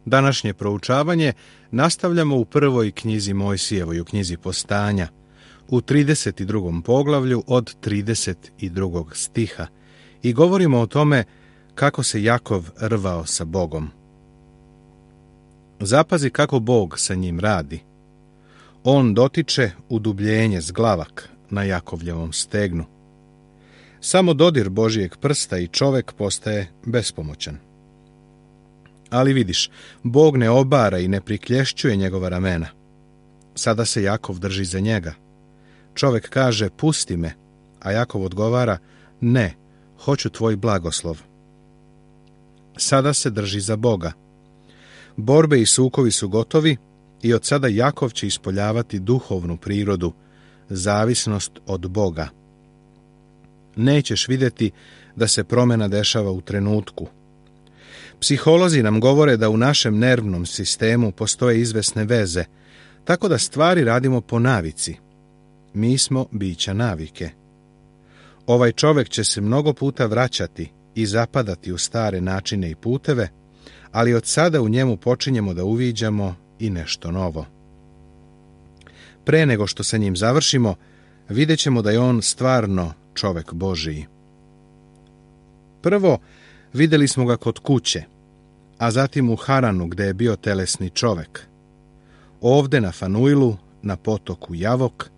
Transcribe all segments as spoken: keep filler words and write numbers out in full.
Današnje proučavanje nastavljamo u prvoj knjizi Mojsijevoj, u knjizi Postanja, u trideset drugom poglavlju od trideset drugog stiha i govorimo o tome kako se Jakov rvao sa Bogom. Zapazi kako Bog sa njim radi. On dotiče udubljenje zglavak na Jakovljevom stegnu. Samo dodir Božijeg prsta i čovek postaje bespomoćan. Ali vidiš, Bog ne obara i ne priklješćuje njegova ramena. Sada se Jakov drži za njega. Čovek kaže, pusti me, a Jakov odgovara, ne, hoću tvoj blagoslov. Sada se drži za Boga. Borbe i sukovi su gotovi i od sada Jakov će ispoljavati duhovnu prirodu, zavisnost od Boga. Nećeš vidjeti da se promjena dešava u trenutku. Psiholozi nam govore da u našem nervnom sistemu postoje izvesne veze, tako da stvari radimo po navici. Mi smo bića navike. Ovaj čovjek će se mnogo puta vraćati i zapadati u stare načine i puteve, ali od sada u njemu počinjemo da uviđamo i nešto novo. Pre nego što sa njim završimo, vidjet ćemo da je on stvarno čovjek Božiji. Prvo, vidjeli smo ga kod kuće, a zatim u Haranu gdje je bio telesni čovjek. Ovdje na Fanuilu, na potoku Javok,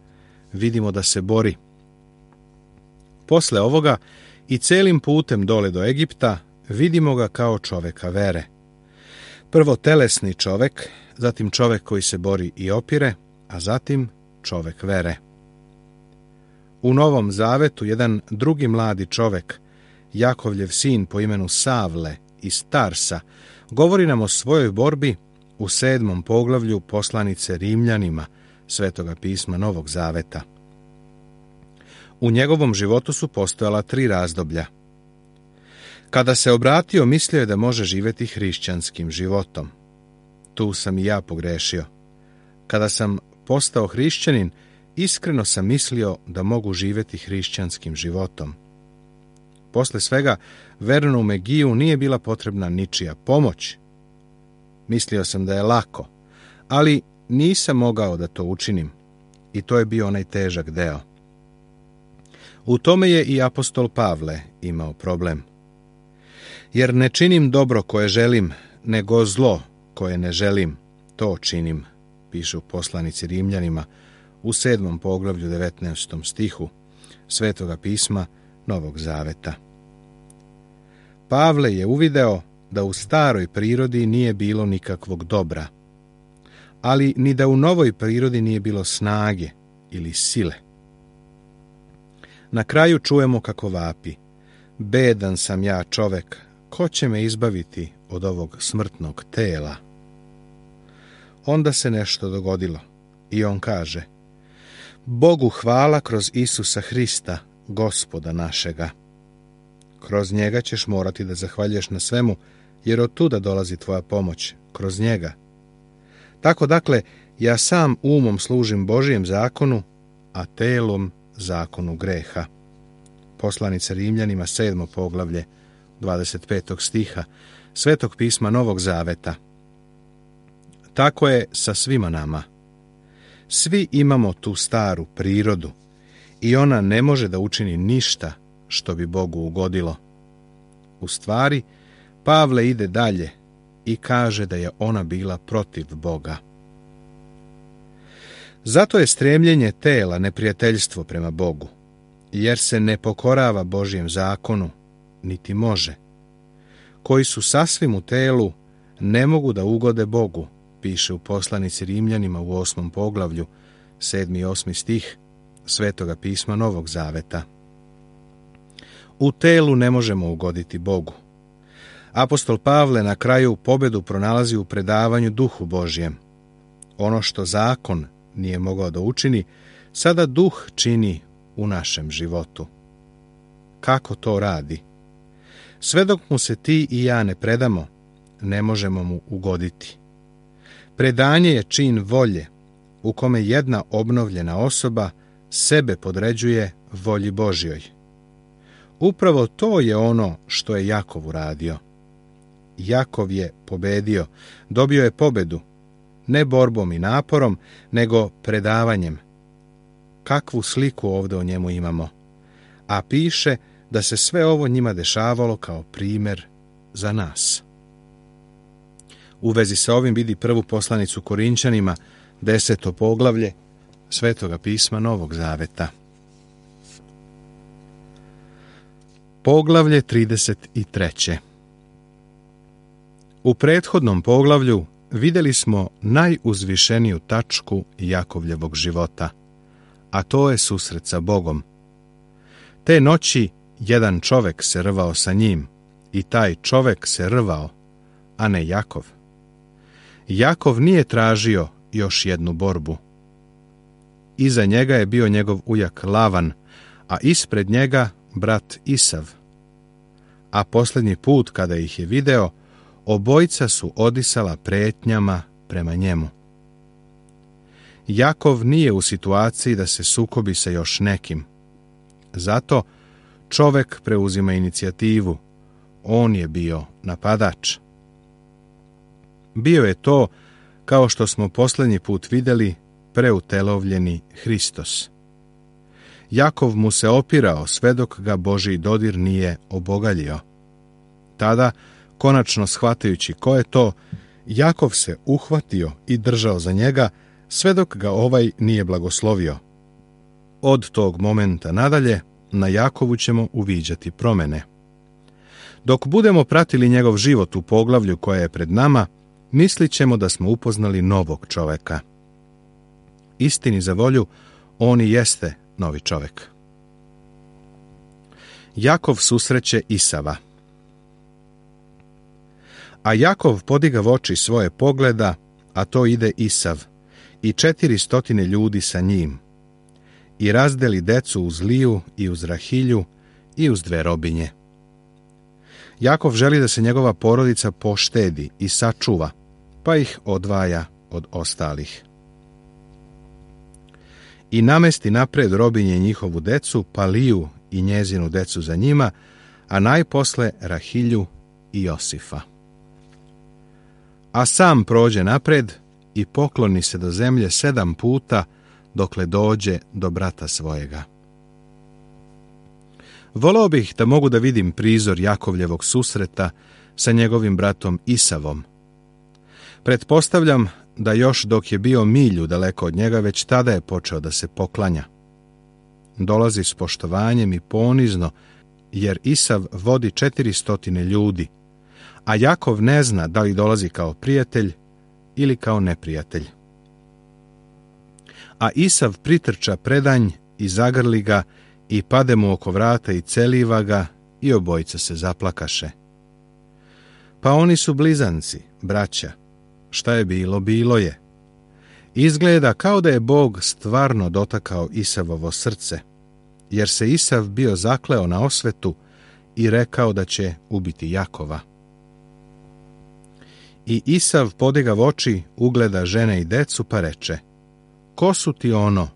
vidimo da se bori. Posle ovoga i celim putem dole do Egipta vidimo ga kao čovjeka vere. Prvo telesni čovjek, zatim čovjek koji se bori i opire, a zatim čovjek vere. U Novom Zavetu jedan drugi mladi čovjek, Jakovljev sin po imenu Savle iz Tarsa, govori nam o svojoj borbi u sedmom poglavlju poslanice Rimljanima, Svetoga pisma Novog Zaveta. U njegovom životu su postojala tri razdoblja. Kada se obratio, mislio je da može živjeti hrišćanskim životom. Tu sam i ja pogrešio. Kada sam postao hrišćanin, iskreno sam mislio da mogu živjeti hrišćanskim životom. Posle svega, vernu Megiju nije bila potrebna ničija pomoć. Mislio sam da je lako, ali nisam mogao da to učinim. I to je bio onaj težak deo. U tome je i apostol Pavle imao problem. Jer ne činim dobro koje želim, nego zlo koje ne želim, to činim, piše u poslanici Rimljanima u sedmom poglavlju devetnaestom stihu Svetoga pisma Novog Zaveta. Pavle je uvideo da u staroj prirodi nije bilo nikakvog dobra, ali ni da u novoj prirodi nije bilo snage ili sile. Na kraju čujemo kako vapi: bedan sam ja čovek, ko će me izbaviti od ovog smrtnog tela? Onda se nešto dogodilo i on kaže: Bogu hvala kroz Isusa Hrista, Gospoda našega. Kroz njega ćeš morati da zahvaljuješ na svemu, jer od tuda dolazi tvoja pomoć, kroz njega. Tako dakle, ja sam umom služim Božijem zakonu, a telom zakonu greha. Poslanica Rimljanima, sedmo poglavlje, dvadeset petog stiha, Svetog pisma Novog Zaveta. Tako je sa svima nama. Svi imamo tu staru prirodu i ona ne može da učini ništa što bi Bogu ugodilo. U stvari, Pavle ide dalje i kaže da je ona bila protiv Boga. Zato je stremljenje tela neprijateljstvo prema Bogu, jer se ne pokorava Božjem zakonu, niti može. Koji su sasvim u telu, ne mogu da ugode Bogu, piše u poslanici Rimljanima u osmom poglavlju, sedmi i osmi stih Svetoga pisma Novog Zaveta. U telu ne možemo ugoditi Bogu. Apostol Pavle na kraju pobedu pronalazi u predavanju Duhu Božjem. Ono što zakon nije mogao da učini, sada Duh čini u našem životu. Kako to radi? Sve dok mu se ti i ja ne predamo, ne možemo mu ugoditi. Predanje je čin volje, u kome jedna obnovljena osoba sebe podređuje volji Božjoj. Upravo to je ono što je Jakov uradio. Jakov je pobedio, dobio je pobedu, ne borbom i naporom, nego predavanjem. Kakvu sliku ovdje o njemu imamo? A piše da se sve ovo njima dešavalo kao primjer za nas. U vezi sa ovim vidi prvu poslanicu Korinčanima, deseto poglavlje Svetoga pisma Novog Zaveta. Poglavlje trideset tri. U prethodnom poglavlju vidjeli smo najuzvišeniju tačku Jakovljevog života, a to je susret sa Bogom. Te noći jedan čovek se rvao sa njim i taj čovek se rvao, a ne Jakov. Jakov nije tražio još jednu borbu. Iza njega je bio njegov ujak Lavan, a ispred njega brat Isav. A posljednji put kada ih je video, obojica su odisala pretnjama prema njemu. Jakov nije u situaciji da se sukobi sa još nekim. Zato čovek preuzima inicijativu. On je bio napadač. Bio je to, kao što smo posljednji put vidjeli, preutelovljeni Hristos. Jakov mu se opirao sve dok ga Božji dodir nije obogaljio. Tada, konačno shvatajući ko je to, Jakov se uhvatio i držao za njega sve dok ga ovaj nije blagoslovio. Od tog momenta nadalje na Jakovu ćemo uviđati promjene. Dok budemo pratili njegov život u poglavlju koje je pred nama, mislit ćemo da smo upoznali novog čoveka. Istini za volju, on i jeste novi čovek. Jakov susreće Isava. A Jakov podiga oči svoje pogleda, a to ide Isav, i četiri stotine ljudi sa njim, i razdeli decu uz Liju i uz Rahilju i uz dve robinje. Jakov želi da se njegova porodica poštedi i sačuva, pa ih odvaja od ostalih. I namesti napred robinje njihovu decu, pa Liju i njezinu decu za njima, a najposle Rahilju i Josifa. A sam prođe napred i pokloni se do zemlje sedam puta, dokle dođe do brata svojega. Voleo bih da mogu da vidim prizor Jakovljevog susreta sa njegovim bratom Isavom. Pretpostavljam da još dok je bio milju daleko od njega, već tada je počeo da se poklanja. Dolazi s poštovanjem i ponizno, jer Isav vodi četiri stotine ljudi, a Jakov ne zna da li dolazi kao prijatelj ili kao neprijatelj. A Isav pritrča predanj i zagrli ga i pade mu oko vrata i celiva ga i obojica se zaplakaše. Pa oni su blizanci, braća. Šta je bilo, bilo je. Izgleda kao da je Bog stvarno dotakao Isavovo srce, jer se Isav bio zakleo na osvetu i rekao da će ubiti Jakova. I Isav podigav oči, ugleda žene i decu, pa reče: ko su ti ono?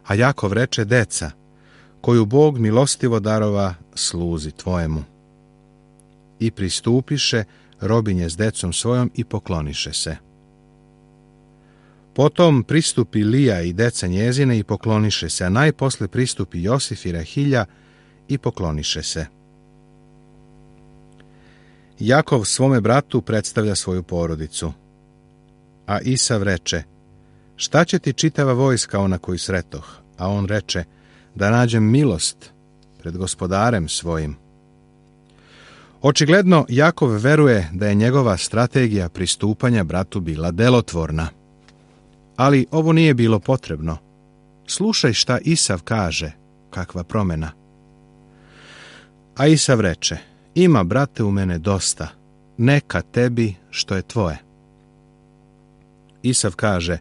A Jakov reče: deca, koju Bog milostivo darova sluzi tvojemu. I pristupiše robinje s decom svojom i pokloniše se. Potom pristupi Lija i deca njezine i pokloniše se, a najposle pristupi Josif i Rahilja i pokloniše se. Jakov svome bratu predstavlja svoju porodicu. A Isav reče: šta će ti čitava vojska ona koju sretoh? A on reče: da nađem milost pred gospodarem svojim. Očigledno Jakov veruje da je njegova strategija pristupanja bratu bila delotvorna. Ali ovo nije bilo potrebno. Slušaj šta Isav kaže, kakva promjena. A Isav reče: ima, brate, u mene dosta, neka tebi što je tvoje. Isav kaže: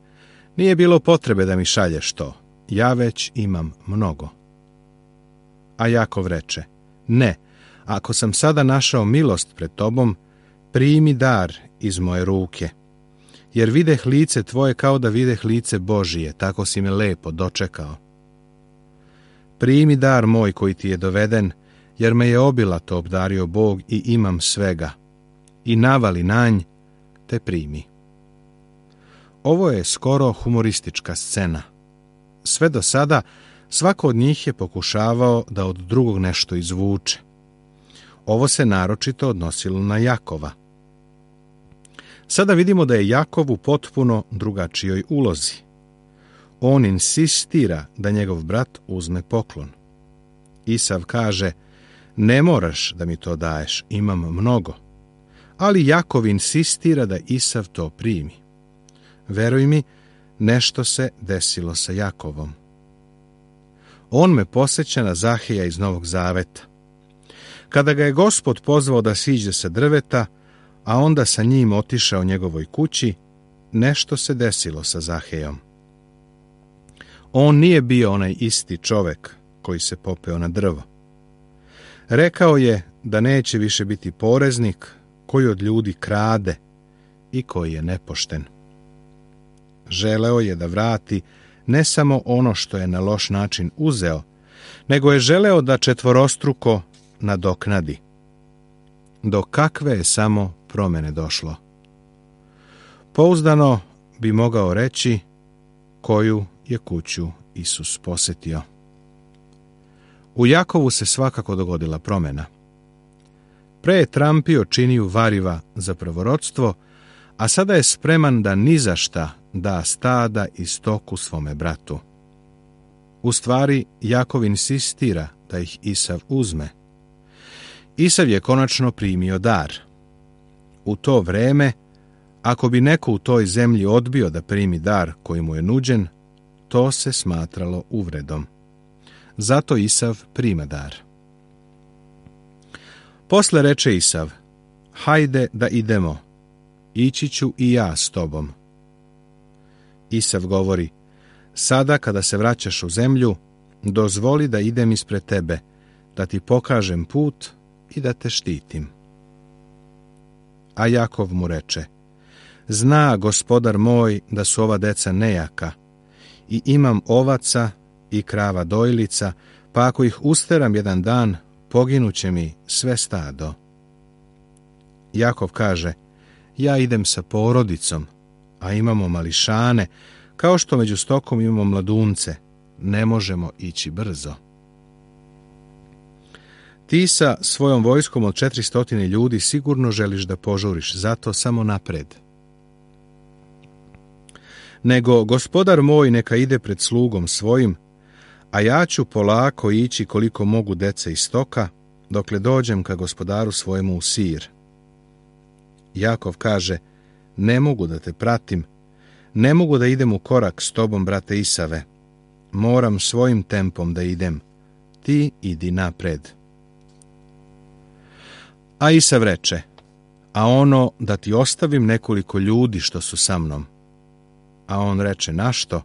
nije bilo potrebe da mi šalješ to, ja već imam mnogo. A Jakov reče: ne, ako sam sada našao milost pred tobom, primi dar iz moje ruke, jer videh lice tvoje kao da videh lice Božije, tako si me lepo dočekao. Primi dar moj koji ti je doveden, jer me je obilato obdario Bog i imam svega. i navali na nj, te primi. Ovo je skoro humoristička scena. Sve do sada svako od njih je pokušavao da od drugog nešto izvuče. Ovo se naročito odnosilo na Jakova. Sada vidimo da je Jakov u potpuno drugačijoj ulozi. On insistira da njegov brat uzme poklon. Isav kaže, ne moraš da mi to daješ, imam mnogo. Ali Jakov insistira da Isav to primi. Veruj mi, nešto se desilo sa Jakovom. On me podsjeća na Zaheja iz Novog Zaveta. Kada ga je Gospod pozvao da siđe sa drveta, a onda sa njim otišao njegovoj kući, nešto se desilo sa Zahejom. On nije bio onaj isti čovek koji se popeo na drvo. Rekao je da neće više biti poreznik koji od ljudi krade i koji je nepošten. Želeo je da vrati ne samo ono što je na loš način uzeo, nego je želeo da četvorostruko nadoknadi. Do kakve je samo promene došlo? Pouzdano bi mogao reći koju je kuću Isus posetio. U Jakovu se svakako dogodila promjena. Pre je trampio činiju variva za prvorodstvo, a sada je spreman da ni za šta da stada i stoku svome bratu. U stvari, Jakov insistira da ih Isav uzme. Isav je konačno primio dar. U to vreme, ako bi neko u toj zemlji odbio da primi dar koji mu je nuđen, to se smatralo uvredom. Zato Isav prima dar. Posle reče Isav, hajde da idemo, ići ću i ja s tobom. Isav govori, sada kada se vraćaš u zemlju, dozvoli da idem ispred tebe, da ti pokažem put i da te štitim. A Jakov mu reče, zna gospodar moj da su ova deca nejaka i imam ovaca i krava dojlica, pa ako ih usteram jedan dan, poginuće mi sve stado. Jakov kaže, ja idem sa porodicom, a imamo mališane, kao što među stokom imamo mladunce, ne možemo ići brzo. Ti sa svojom vojskom od četiristotine ljudi sigurno želiš da požuriš, zato samo napred. Nego gospodar moj neka ide pred slugom svojim, a ja ću polako ići koliko mogu dece i stoka, dokle dođem ka gospodaru svojemu u Sir. Jakov kaže, ne mogu da te pratim, ne mogu da idem u korak s tobom, brate Isave, moram svojim tempom da idem, ti idi napred. A Isav reče, a ono da ti ostavim nekoliko ljudi što su sa mnom. A on reče, našto?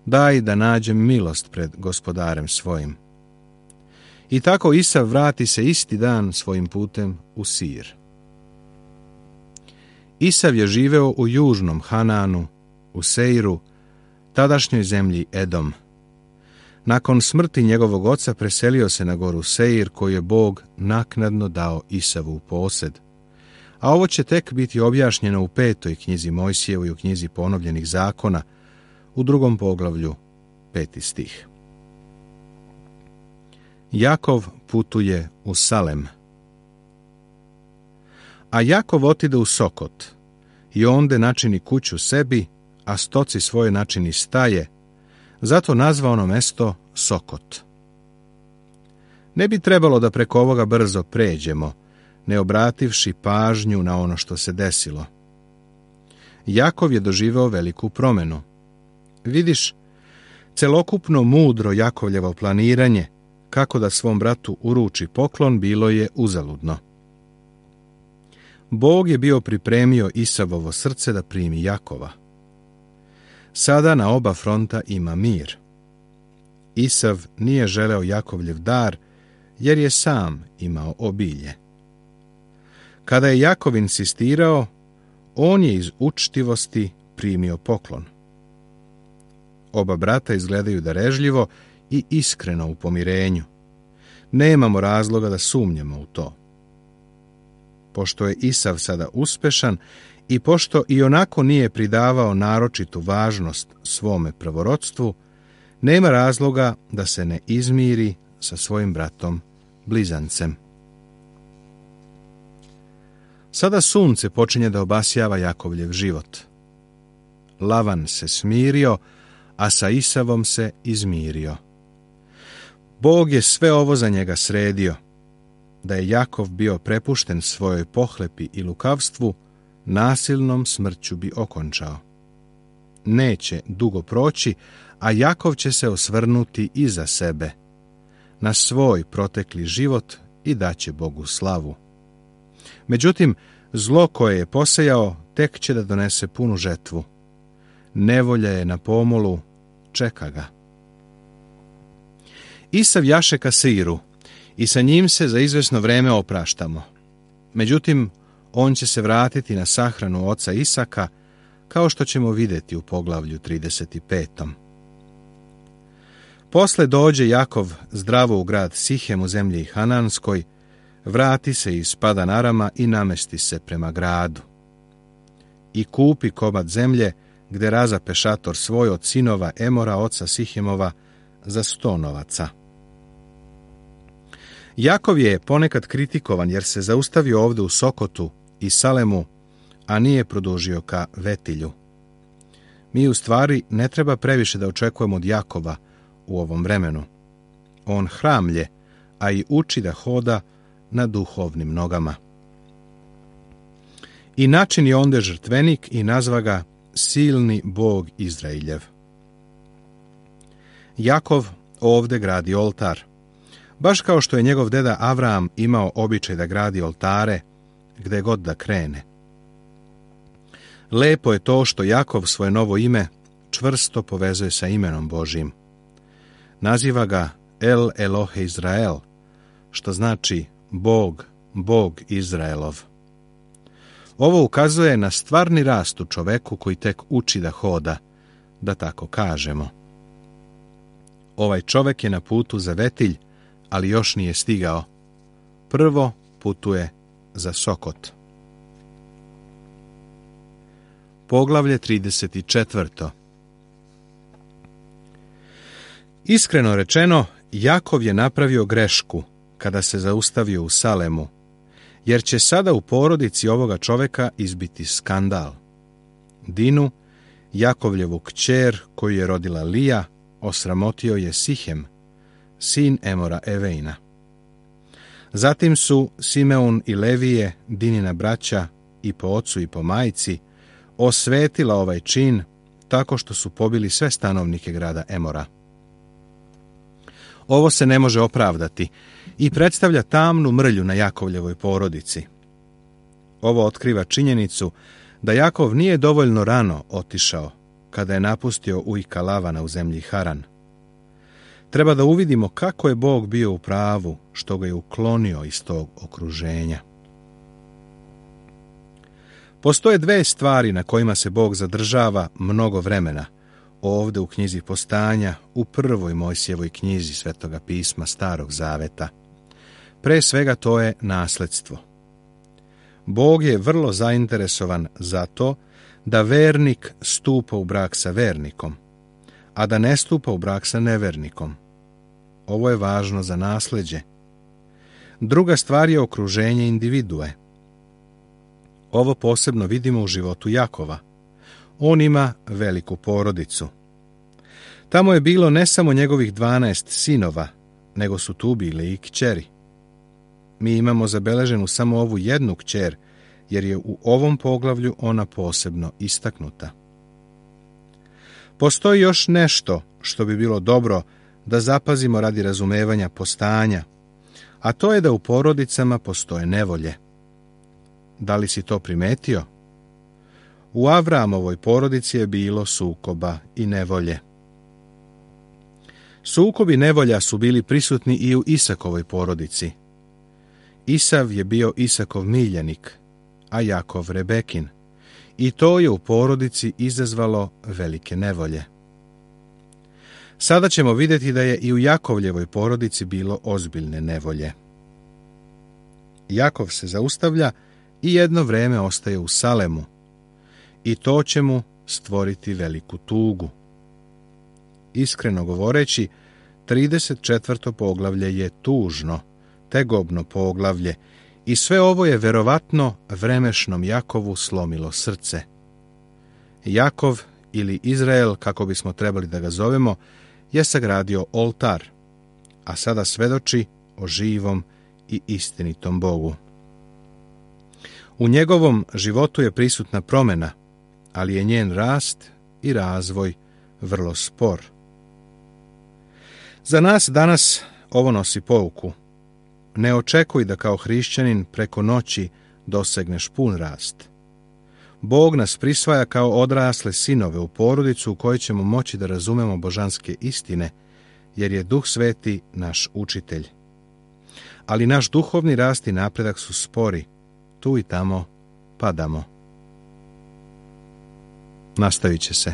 Daj da nađem milost pred gospodarem svojim. I tako Isav vrati se isti dan svojim putem u Sir. Isav je živeo u južnom Hananu, u Seiru, tadašnjoj zemlji Edom. Nakon smrti njegovog oca preselio se na goru Seir, koju je Bog naknadno dao Isavu u posed. A ovo će tek biti objašnjeno u petoj knjizi Mojsijevoj, u knjizi ponovljenih zakona, u drugom poglavlju, peti stih. Jakov putuje u Salem. A Jakov otide u Sokot i onde načini kuću sebi, a stoci svoje načini staje, zato nazva ono mesto Sokot. Ne bi trebalo da preko ovoga brzo pređemo, ne obrativši pažnju na ono što se desilo. Jakov je doživeo veliku promenu. Vidiš, celokupno mudro Jakovljevo planiranje, kako da svom bratu uruči poklon, bilo je uzaludno. Bog je bio pripremio Isavovo srce da primi Jakova. Sada na oba fronta ima mir. Isav nije želeo Jakovljev dar, jer je sam imao obilje. Kada je Jakov insistirao, on je iz učtivosti primio poklon. Oba brata izgledaju darežljivo i iskreno u pomirenju. Nemamo razloga da sumnjamo u to. pošto je Isav sada uspešan i pošto i onako nije pridavao naročitu važnost svome prvorodstvu, nema razloga da se ne izmiri sa svojim bratom blizancem. Sada sunce počinje da obasjava Jakovljev život. Lavan se smirio, a sa Isavom se izmirio. Bog je sve ovo za njega sredio. Da je Jakov bio prepušten svojoj pohlepi i lukavstvu, nasilnom smrću bi okončao. Neće dugo proći, a Jakov će se osvrnuti iza sebe, na svoj protekli život i daće Bogu slavu. Međutim, zlo koje je posejao tek će da donese punu žetvu. Nevolja je na pomolu, čeka ga. Isav jaše ka Seiru i sa njim se za izvesno vreme opraštamo. Međutim, on će se vratiti na sahranu oca Isaka, kao što ćemo vidjeti u poglavlju trideset pet. Posle dođe Jakov zdravo u grad Sihem u zemlji Hananskoj, vrati se iz Padan Arama i namesti se prema gradu. I kupi komad zemlje, gde razape šator svoj od sinova Emora, oca Sihemova, za sto novaca. Jakov je ponekad kritikovan jer se zaustavio ovde u Sokotu i Salemu, a nije produžio ka Vetilju. Mi u stvari ne treba previše da očekujemo od Jakova u ovom vremenu. On hramlje, a i uči da hoda na duhovnim nogama. I načini onde žrtvenik i nazva ga silni Bog Izrailjev. Jakov ovde gradi oltar, baš kao što je njegov deda Avram imao običaj da gradi oltare gde god da krene. Lepo je to što Jakov svoje novo ime čvrsto povezuje sa imenom Božjim. Naziva ga El Elohe Izrael, što znači Bog, Bog Izraelov. Ovo ukazuje na stvarni rast u čoveku koji tek uči da hoda, da tako kažemo. Ovaj čovek je na putu za Vetilj, ali još nije stigao. Prvo putuje za Sokot. Poglavlje trideset četiri. Iskreno rečeno, Jakov je napravio grešku kada se zaustavio u Salemu, jer će sada u porodici ovoga čoveka izbiti skandal. Dinu, Jakovljevu kćer koju je rodila Lija, osramotio je Sihem, sin Emora Evejna. Zatim su Simeon i Levije, Dinina braća, i po ocu i po majci, osvetila ovaj čin tako što su pobili sve stanovnike grada Emora. Ovo se ne može opravdati i predstavlja tamnu mrlju na Jakovljevoj porodici. Ovo otkriva činjenicu da Jakov nije dovoljno rano otišao kada je napustio ujka Lavana u zemlji Haran. Treba da uvidimo kako je Bog bio u pravu što ga je uklonio iz tog okruženja. Postoje dve stvari na kojima se Bog zadržava mnogo vremena, ovde u knjizi Postanja, u prvoj Mojsijevoj knjizi Svetoga pisma Starog Zaveta. Pre svega to je nasledstvo. Bog je vrlo zainteresovan za to da vernik stupa u brak sa vernikom, a da ne stupa u brak sa nevernikom. Ovo je važno za nasleđe. Druga stvar je okruženje individue. Ovo posebno vidimo u životu Jakova. On ima veliku porodicu. Tamo je bilo ne samo njegovih dvanaest sinova, nego su tu bile i kćeri. Mi imamo zabeleženu samo ovu jednu kćer, jer je u ovom poglavlju ona posebno istaknuta. Postoji još nešto što bi bilo dobro da zapazimo radi razumevanja Postanja, a to je da u porodicama postoje nevolje. Da li si to primetio? U Avramovoj porodici je bilo sukoba i nevolje. Sukob i nevolja su bili prisutni i u Isakovoj porodici. Isav je bio Isakov miljenik, a Jakov Rebekin, i to je u porodici izazvalo velike nevolje. Sada ćemo vidjeti da je i u Jakovljevoj porodici bilo ozbiljne nevolje. Jakov se zaustavlja i jedno vreme ostaje u Salemu, i to će mu stvoriti veliku tugu. Iskreno govoreći, trideset četvrto poglavlje je tužno, tegobno poglavlje, i sve ovo je verovatno vremešnom Jakovu slomilo srce. Jakov, ili Izrael, kako bismo trebali da ga zovemo, je sagradio oltar, a sada svedoči o živom i istinitom Bogu. U njegovom životu je prisutna promjena, ali je njen rast i razvoj vrlo spor. Za nas danas ovo nosi pouku. Ne očekuj da kao hrišćanin preko noći dosegneš pun rast. Bog nas prisvaja kao odrasle sinove u porodicu u kojoj ćemo moći da razumemo božanske istine, jer je Duh Sveti naš učitelj. Ali naš duhovni rast i napredak su spori, tu i tamo padamo. Nastavit će se.